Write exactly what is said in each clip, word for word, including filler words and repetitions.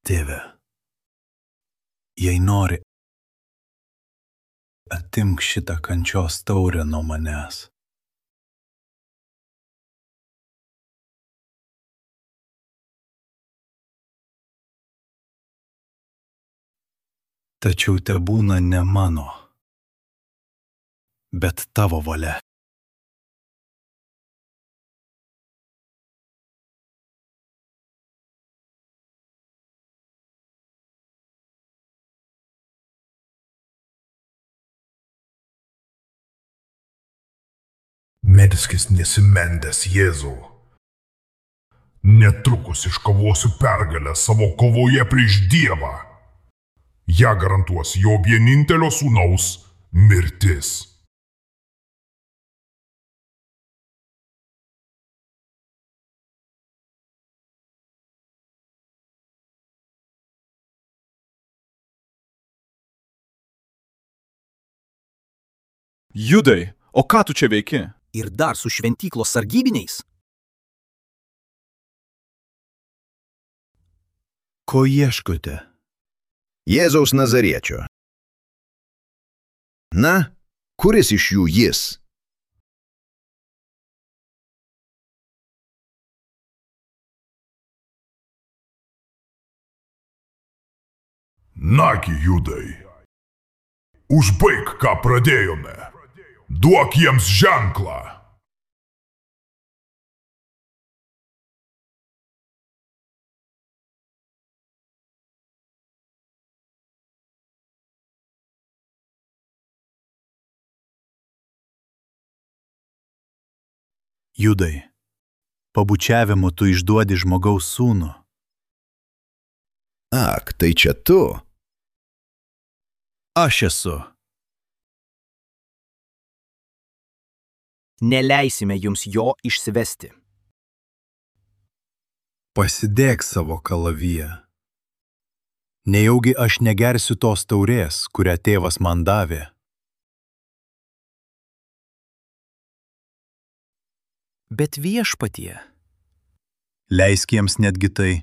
Tėve, jei nori, atimk šitą kančios taurę nuo manęs. Tačiau tebūna ne mano, bet tavo valia. Melskis nesimendęs, Jėzau. Netrukus iškovosiu pergalę savo kovoje prieš Dievą. Ja garantuos jo vienintelio sūnaus mirtis. Judai, o ką tu čia veiki? Ir dar su šventyklos sargybiniais? Ko ieškote? Jėzaus Nazariečio. Na, kuris iš jų jis? Nagi, Judai, užbaik, ką pradėjome. Duok jiems ženklą. Judai, pabučiavimu tu išduodi žmogaus sūnų. Ak, tai čia tu. Aš esu. Neleisime jums jo išsivesti. Pasidėk savo kalaviją. Nejaugi aš negersiu tos taurės, kurią tėvas man davė. Bet viešpatie. Leisk jiems netgi tai.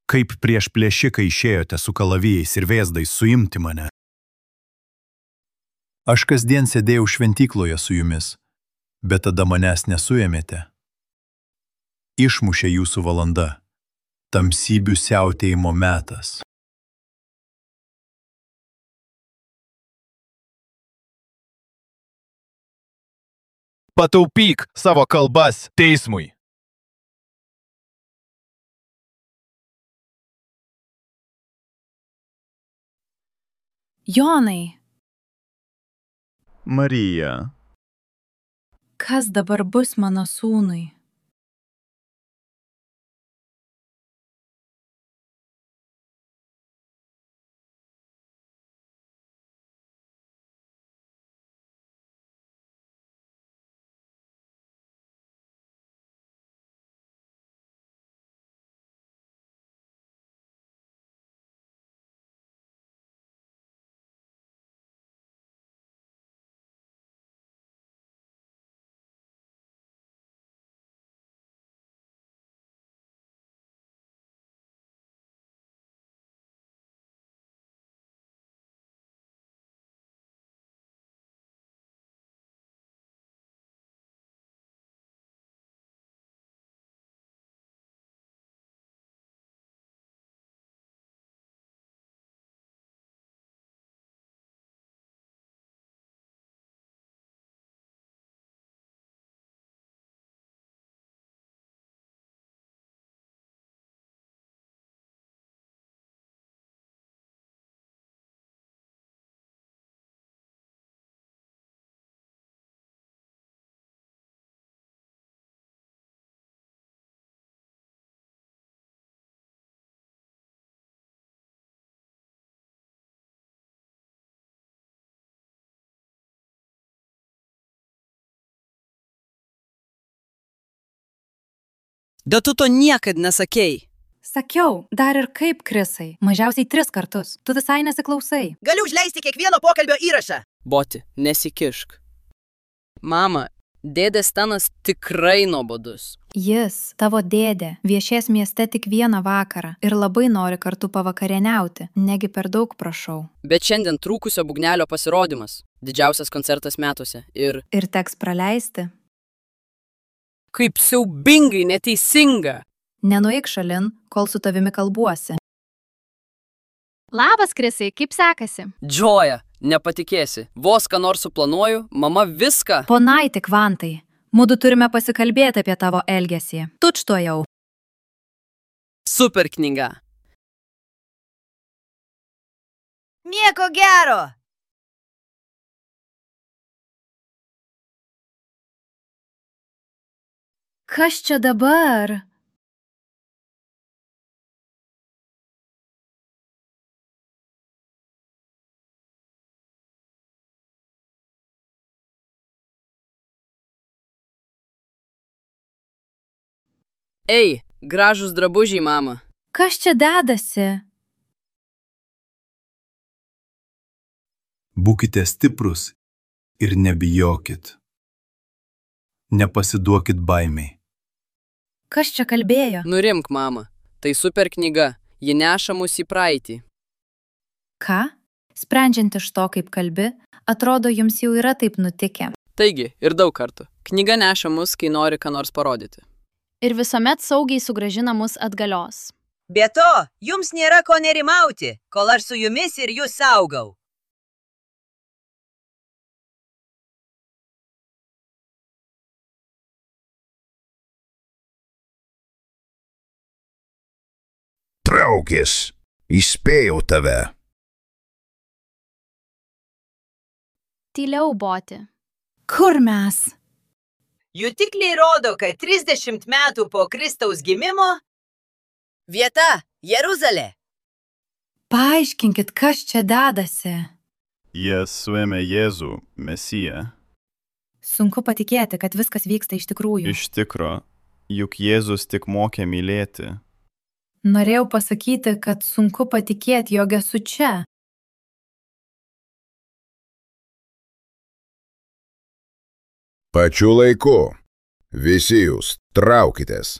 Kaip prieš plėšiką išėjote su kalavijais ir vėzdais suimti mane. Aš kasdien sėdėjau šventykloje su jumis, bet tada manęs nesuėmėte. Išmušė jūsų valanda, tamsybių siautėjimo metas. Pataupyk savo kalbas teismui. Jonai, Marija, kas dabar bus mano sūnui? Bet tu to niekad nesakei. Sakiau, dar ir kaip, Krisai, mažiausiai tris kartus. Tu visai nesiklausai. Galiu užleisti kiekvieno pokalbio įrašą. Boti, nesikišk. Mama, dėdės Stanas tikrai nuobodus. Jis, tavo dėdė, viešės mieste tik vieną vakarą ir labai nori kartu pavakarieniauti, negi per daug prašau. Bet šiandien trūkusio būgnelio pasirodymas. Didžiausias koncertas metuose. Ir... Ir teks praleisti. Kaip siaubingai neteisinga. Nenueik šalin, kol su tavimi kalbuosi. Labas, Krisai, kaip sekasi? Džoja, nepatikėsi. Vos ką nors suplanuoju, mama viską. Ponai tik vantai. Mudu turime pasikalbėti apie tavo elgesį. Tučtuojau. Super knyga. Nieko gero. Kas čia dabar? Ei, gražūs drabužiai, mama. Kas čia dedasi? Būkite stiprus ir nebijokit. Nepasiduokit baimiai. Kas čia kalbėjo? Nurimk, mama. Tai super knyga. Ji neša mus į praeitį. Ką? Sprendžiant iš to, kaip kalbi, atrodo, jums jau yra taip nutikę. Taigi, ir daug kartų. Knyga neša mus, kai nori ką nors parodyti. Ir visuomet saugiai sugrąžina mus atgalios. Be to, jums nėra ko nerimauti, kol aš su jumis ir jūs saugau. Traukis. Įspėjau tave. Tyliau, Boti. Kur mes? Jutikliai rodo, kad trisdešimt metų po Kristaus gimimo vieta Jeruzalė. Paaiškinkit, kas čia dedasi. Jie suėmė Jėzų, Mesiją. Sunku patikėti, kad viskas vyksta iš tikrųjų. Iš tikro, juk Jėzus tik mokė mylėti. Norėjau pasakyti, kad sunku patikėti, jog esu čia. Pačiu laiku. Visi jūs traukitės.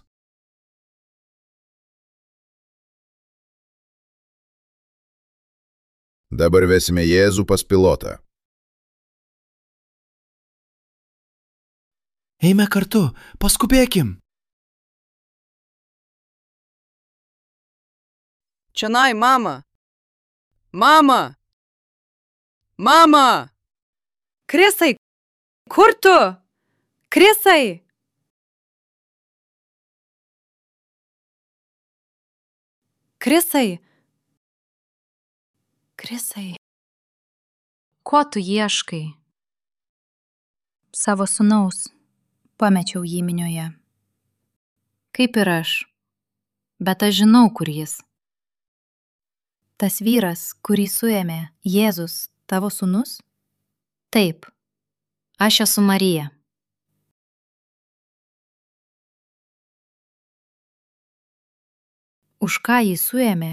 Dabar vesime Jėzų pas pilotą. Eime kartu, paskubėkim. Čionai, mama. Mama. Mama. Krisai, kur tu? Krisai. Krisai. Krisai. Ko tu ieškai? Savo sūnaus. Pamečiau jį minioje. Kaip ir aš. Bet aš žinau, kur jis. Tas vyras, kurį suėmė Jėzus, tavo sūnus? Taip. Aš esu Marija. Už ką jį suėmė?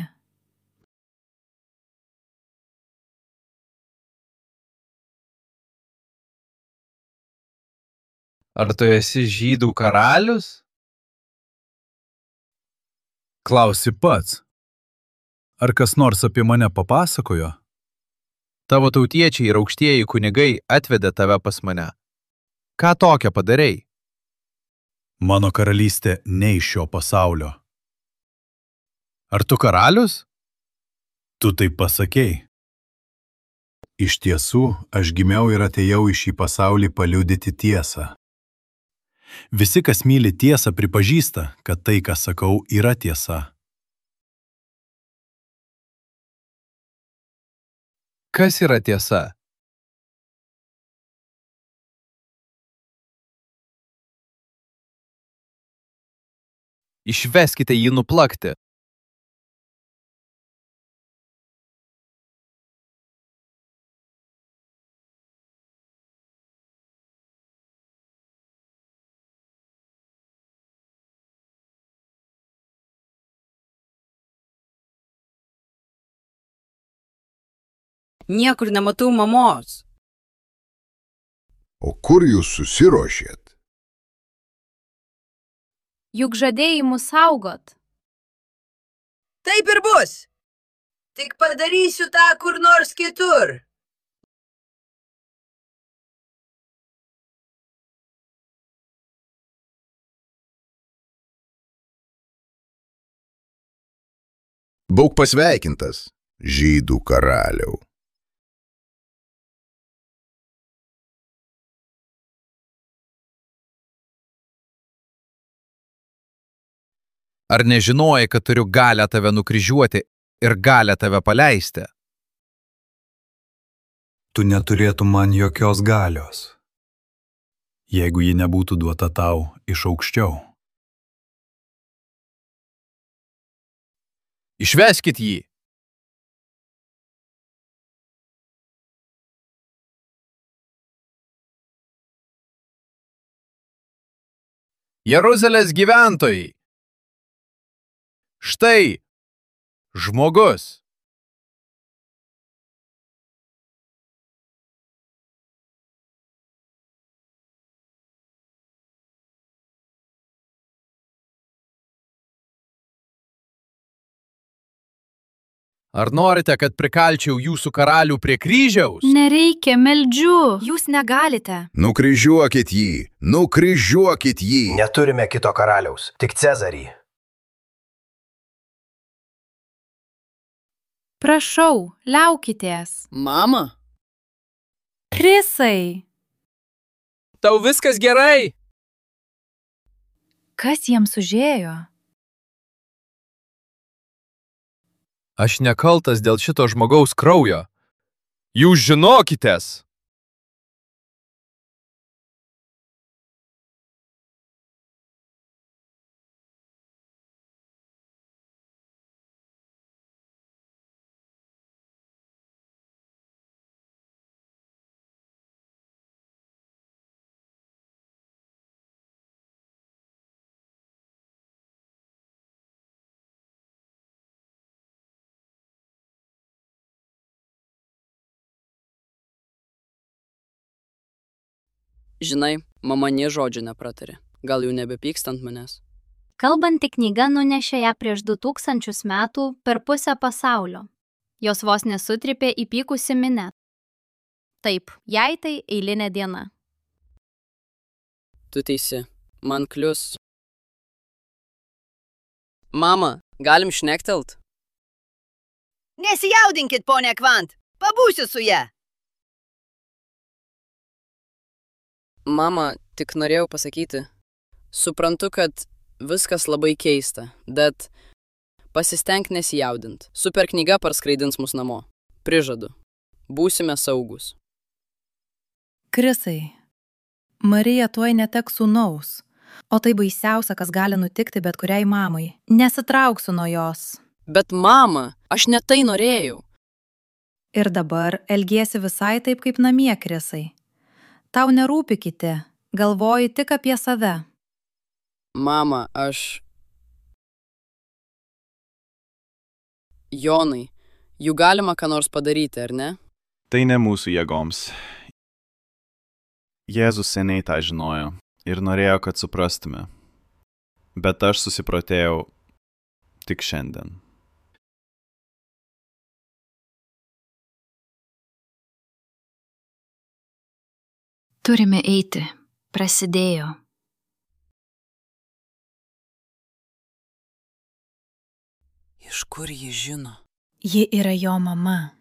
Ar tu esi žydų karalius? Klausi pats. Ar kas nors apie mane papasakojo? Tavo tautiečiai ir aukštieji kunigai atvedė tave pas mane. Ką tokią padarei? Mano karalystė ne iš šio pasaulio. Ar tu karalius? Tu taip pasakei. Iš tiesų, aš gimiau ir atėjau į šį pasaulį paliudyti tiesą. Visi, kas myli tiesą, pripažįsta, kad tai, ką sakau, yra tiesa. Kas yra tiesa? Išveskite jį nuplakti. Niekur nematau mamos. O kur jūs susiruošėt? Juk žadėjai mus saugot. Taip ir bus. Tik padarysiu tą kur nors kitur. Būk pasveikintas, žydų karaliau. Ar nežinojai, kad turiu galę tave nukryžiuoti ir galę tave paleisti? Tu neturėtum man jokios galios, jeigu ji nebūtų duota tau iš aukščiau. Išveskit jį. Jeruzalės gyventojai. Štai žmogus. Ar norite, kad prikalčiau jūsų karalių prie kryžiaus? Nereikia, meldžiu. Jūs negalite. Nukryžiuokit jį, nukryžiuokit jį. Neturime kito karaliaus, tik Cezarį. Prašau, liaukitės. Mama, Krisai. tau viskas gerai? Kas jiems užėjo? Aš nekaltas dėl šito žmogaus kraujo. Jūs žinokitės. Žinai, mama nė žodžio nepratarė. Gal jau nebepykst ant manęs? Kalbanti knyga nunešė ją prieš du tūkstančius metų per pusę pasaulio. Jos vos nesutripė įpykusi minė. Taip, jai tai eilinė diena. Tu teisi, man klius. Mama, galim šnektelt? Nesijaudinkit, ponia Kvant. Pabūsiu su ja. Mama, tik norėjau pasakyti. Suprantu, kad viskas labai keista, bet pasistenk nesijaudint. Super knyga parskraidins mus namo. Prižadu. Būsime saugus. Krisai, Marija tuoj neteks sūnaus, o tai baisiausia, kas gali nutikti bet kuriai mamai. Nesitrauksiu nuo jos. Bet mama, aš ne tai norėjau. Ir dabar elgiesi visai taip kaip namie, Krisai. Tau nerūpi kiti, galvoji tik apie save. Mama, aš... Jonai, jų galima ką nors padaryti, ar ne? Tai ne mūsų jėgoms. Jėzus seniai tą žinojo ir norėjo, kad suprastume. Bet aš susiprotėjau tik šiandien. Turime eiti. Prasidėjo. Iš kur ji žino? Ji yra jo mama.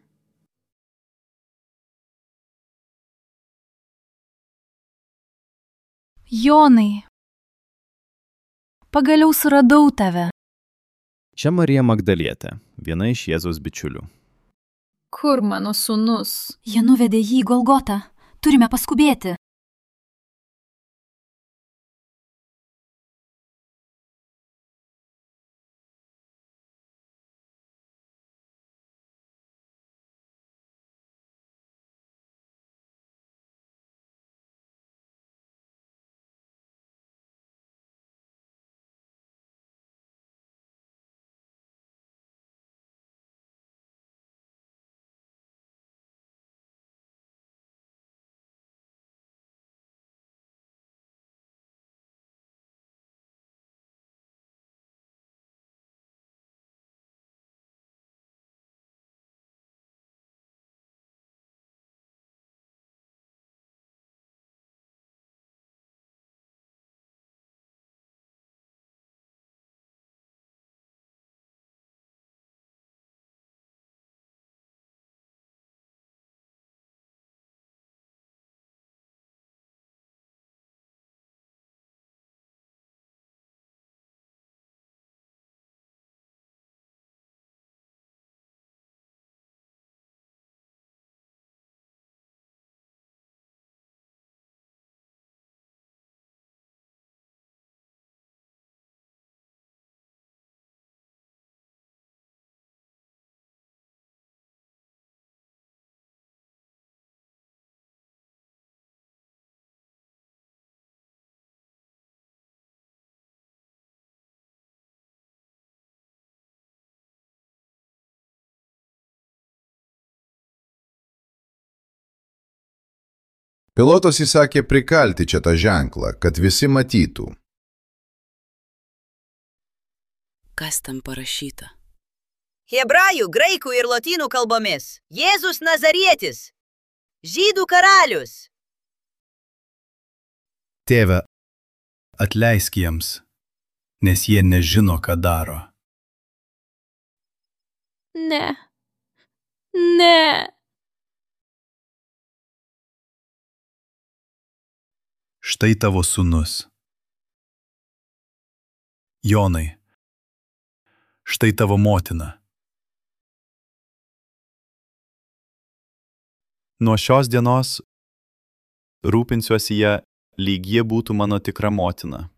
Jonai, pagaliau suradau tave. Čia Marija Magdalietė, viena iš Jėzaus bičiulių. Kur mano sūnus? Jie nuvedė jį į Golgotą. Turime paskubėti. Pilotas įsakė prikalti čia tą ženklą, kad visi matytų. Kas ten parašyta? Hebrajų, graikų ir lotynų kalbomis. Jėzus Nazarietis. Žydų karalius. Tėve, atleisk jiems, nes jie nežino, ką daro. Ne. Ne. Štai tavo sūnus. Jonai, štai tavo motina. Nuo šios dienos rūpinsiuosi ją, lyg jie būtų mano tikra motina.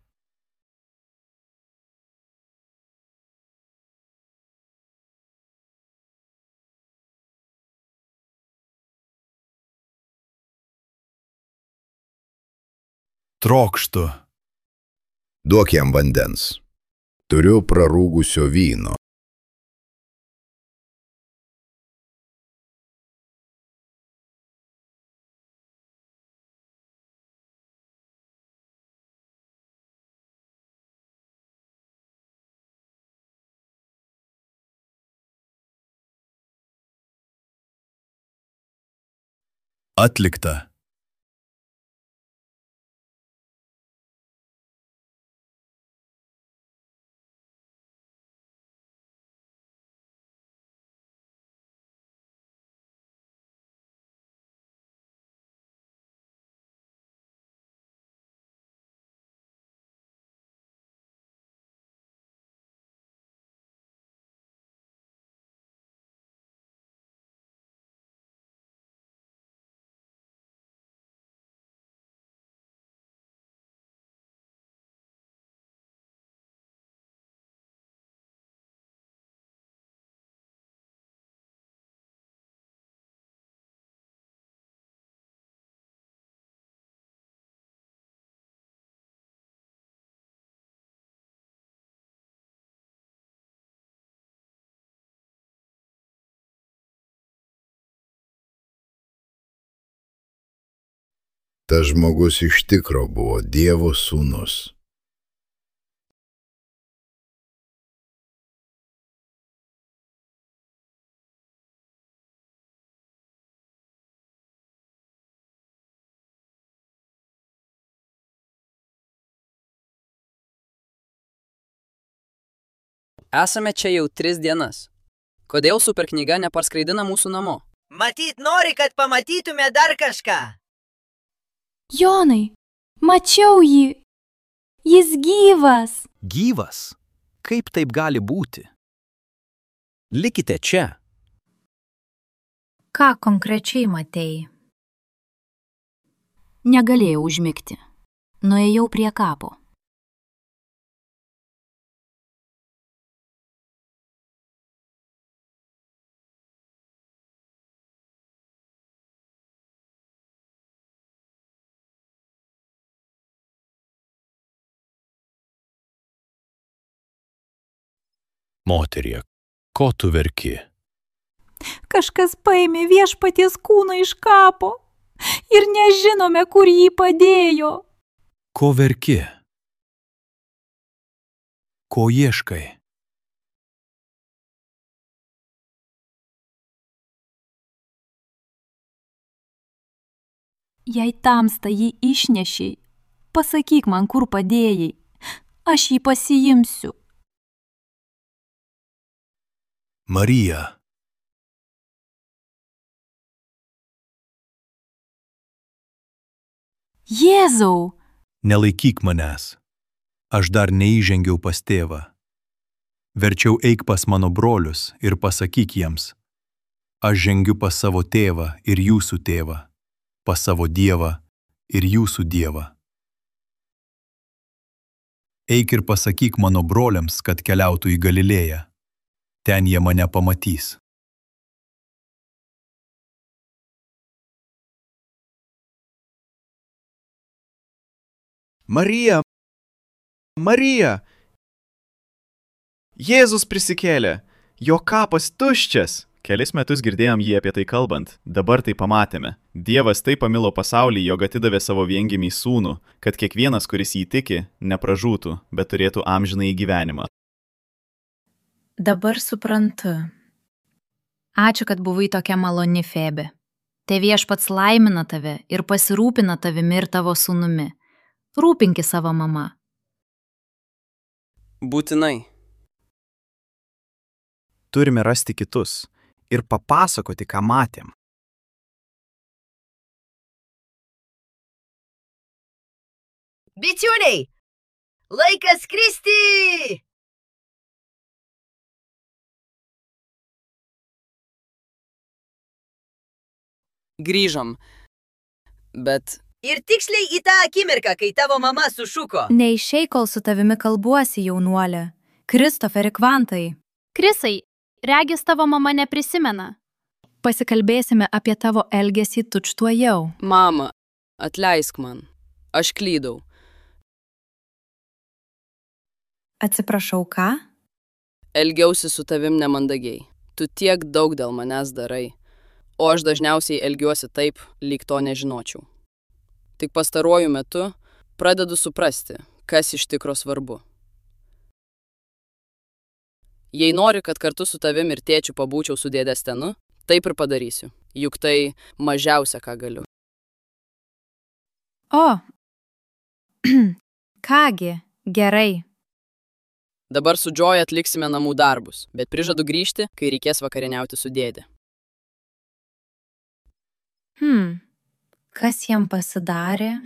Trokštu. Duok jam vandens. Turiu prarūgusio vyno. Atlikta. Tas žmogus iš tikro buvo Dievo sūnus. Esame čia jau tris dienas. Kodėl superknyga neparskraidina mūsų namo? Matyt, nori, kad pamatytume dar kažką. Jonai, mačiau jį. Jis gyvas. Gyvas? Kaip taip gali būti? Likite čia. Ką konkrečiai matei? Negalėjau užmigti. Nuėjau prie kapo. Moterie, ko tu verki? Kažkas paėmė viešpaties kūną iš kapo ir nežinome, kur jį padėjo. Ko verki? Ko ieškai? Jei tamsta jį išnešiai, pasakyk man, kur padėjai. Aš jį pasiimsiu. Marija. Jėzau! Nelaikyk manęs. Aš dar neįžengiau pas tėvą. Verčiau eik pas mano brolius ir pasakyk jiems. Aš žengiu pas savo tėvą ir jūsų tėvą, pas savo Dievą ir jūsų Dievą. Eik ir pasakyk mano broliams, kad keliautų į Galilėją. Ten jie mane pamatys. Marija, Marija, Jėzus prisikėlė, jo kapas tuščias. Kelis metus girdėjom jį apie tai kalbant, dabar tai pamatėme. Dievas taip pamilo pasaulį, jog atidavė savo viengimį sūnų, kad kiekvienas, kuris jį tiki, nepražūtų, bet turėtų amžinąjį gyvenimą. Dabar suprantu. Ačiū, kad buvai tokia maloni, Febė. Te viešpats laimina tave ir pasirūpina tavimi ir tavo sūnumi. Rūpinki savo mama. Būtinai. Turime rasti kitus ir papasakoti, ką matėm. Bičiuliai, laikas skristi! Grįžom. Bet... Ir tiksliai į tą akimirką, kai tavo mama sušuko. Neišei, kol su tavimi kalbuosi, jaunuolė. Kristoferi Kvantai. Krisai, regis tavo mama neprisimena. Pasikalbėsime apie tavo elgesį tučtuojau. Mama, atleisk man. Aš klydau. Atsiprašau, ką? Elgiausi su tavim nemandagiai. Tu tiek daug dėl manęs darai. O aš dažniausiai elgiuosi taip, lyg to nežinočiau. Tik pastaruoju metu pradedu suprasti, kas iš tikro svarbu. Jei nori, kad kartu su tavim ir tėčiu pabūčiau su dėdė Stenu, taip ir padarysiu. Juk tai mažiausia, ką galiu. O, kągi, gerai. Dabar su Joy atliksime namų darbus, bet prižadu grįžti, kai reikės vakarieniauti su dėdė. Hmm, kas jam pasidarė?